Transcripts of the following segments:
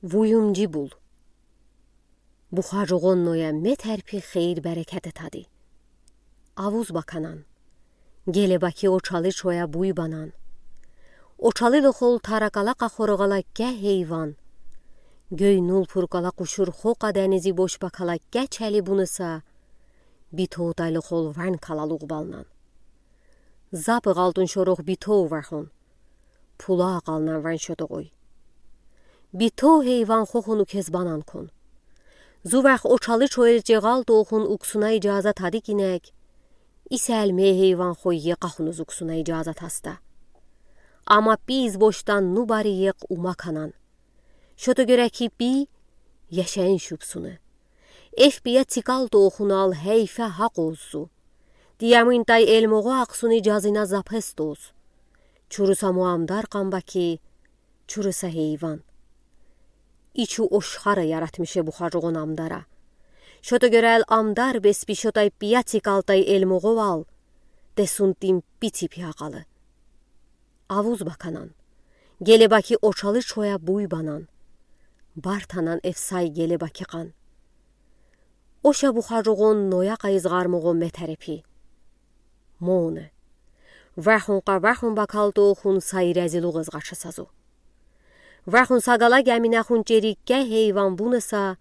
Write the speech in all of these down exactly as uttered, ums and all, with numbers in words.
Вуюмджи бул. Бухажугъон Ноя метерпи хейир-берекете тади. Авуз баканан. Гелебаки Очалы чоя буй банан. Очалы лохол таракала къахоргъала ккэ хейван. Гёй нул пуркала къушурхо къаденизи бошбакала ккэ чели буныса, Битоу тай лохол ванькала лугъ балнан. Запы гъалтун шорух Битоу вахун. Пула акъалнан ван шотогъой. Битоу хейван хохуну кез банан кун. Зувах Очалы чоел чегъал тоухун уксуна ижаза тади кинек. Исел ме хейван хойе къахунуз уксуна ижаза таста. Ама пи избошдан ну бари ех ума канан. Шото гёре ки пи яшен шубсуны. Эф пия цикал тоухунал хейфе хакъ оз зу. Диямин тай элмогъо ахсуни жазына запес тоз. Чуруса муамдар къамбаки, чуруса хейван. Ичу ошхара яратмише бухажугъон амдара. Шото гёрел амдар беспи шотай пия цикал тай элмогъо вал, десунтин пици пия къалы. Авуз баканан. Гелебаки Очалы чоя буй банан. Бартанан эфсай гелебаки къан. Оша бухажугъон Ноя къайыз гъармугъо метерепи. Моны. Вахун къа вахун бакал тоухун сай резилугъ из гъачаса зу. Вахун сагала гаминахун черикке хейван буныса,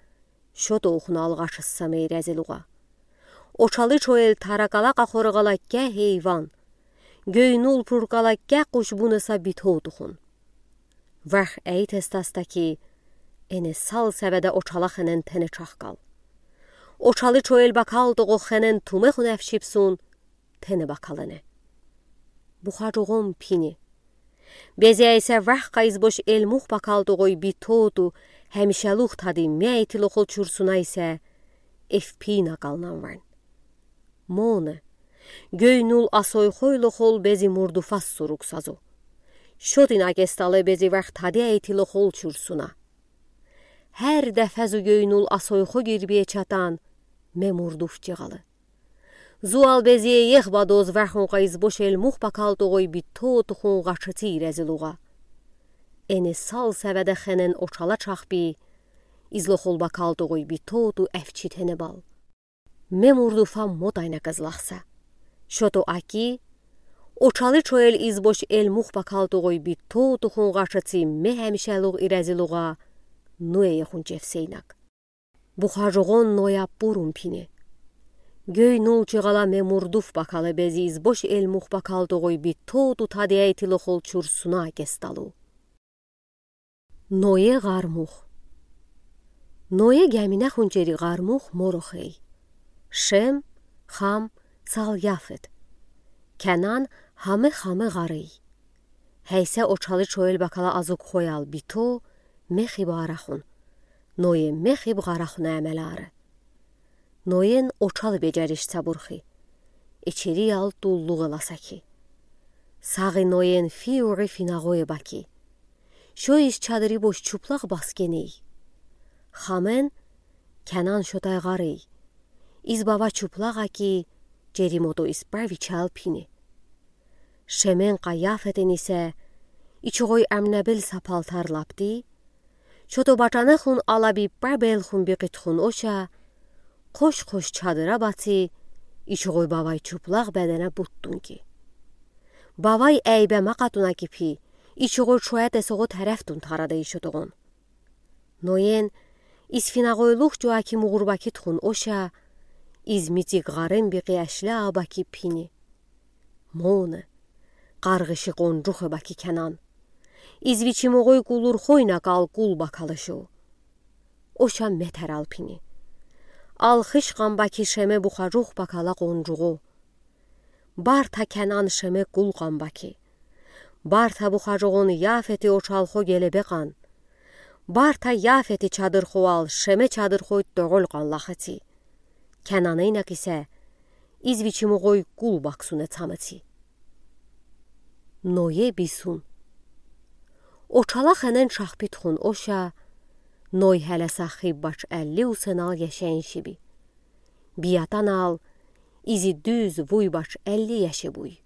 шотоухунал гъачаса мей резилугъа. Очалы чоел таракала къахоргъала ккэ хейван. Гёй нул пуркала ккэ къуш буныса Битоу тухун. Вах эйтестаста ки, эне сал севеде Очала хенен тене чахкал. Очалы чоел бакал тогъо хенен тумехун эфшипсун, тене бакал эне. Бухажугъон пини. Бези айса вах къайызбош элмух бакал тогъой Битоу ту, хемишелух тади ме эти лохол чурсуна исе, эфпи накалнан ван. Моны. Гёй нул асой хой лохол бези мурдуфас сурукса зу. Шотин акесталы бези вах тади эти лохол чурсуна. Хер дефе зу гёй нул асой хо гирбие чатан, ме мурдуф чегъалы. Зуал безие ех бадоз вахун къайызбош элмух бакал тогъой Битоу тухун гъачыци резилугъа. Эне сал севеде хенен Очала чахпи, из лохол бакал тогъой Битоу ту эфчи тене бал. Ме мурдуфа мотайна кызлахса. Шото аки, Очалы чоел избош элмух бакал тогъой Битоу тухун гъачыци ме хемишелугъ и резилугъа, нуэ ехун чевсейнак. Бухажугъон Ноя пурун пини. Гёй нул чегъала ме мурдуф бакалы бези избош элмух бакал тогъой Битоу ту тади эти лохол чурсуна акесталу. Ное гъармух. Ное гаминахун чери гъармух моро хей. Шем, Хам, сал Яфет. Канан хаме-хаме гъарий. Хейсе Очалы чоел бакала азук хоял Битоу мехиб арахун. Ное мехиб гъарахуна эмелары. Ноен Очалы бежариш цабурхи. Ичери ял туллугъ эласа ки. Сагъи Ноен фи угъи финагъое баки. Шо из чадыри бош чуплах баскеней. Хамен Канан шотай гъарий. Из бава чуплах аки, чери мото из прави чал пини. Шемен къа Яфетен исе, ичугъой амнебел са палтар лапти, шото бачанехун алаби пра белхун бикъитхун оша, къош-къош чадыра баци, ичугъой бавай чуплах бедене буттун ки. Бавай эйбе макъатуна ки пи, ичугъой чоя тесогъо терефтун тарадай шотогъон. Ноен, из финагъойлух чоа ки мугъурбаки тухун оша, из мицик гъарен бикъи ашля абаки пини. Моны, къаргъыши къонжух эбаки Канан. Из вичи мугъой кулурхойна кал кул бакалы шо. Оша метерал пини. Алхыш къамбаки Шеме бухажух бакала къонжугъо. Барта Канан Шеме кул къамбаки. Барта бухажугъон Яфети Очалхо гелебе къан. Барта Яфети чадырхоал Шеме чадырхой тоголь къан лахаци. Кананейна кисе, из вичи мугъой кул баксуне цамаци. Ное бисун. Очала хенен шахпи тухун оша, Ной хелеса хиб бач элли усенал яшен шиби. Биятанал, изи дуз вуй бач элли яше буй.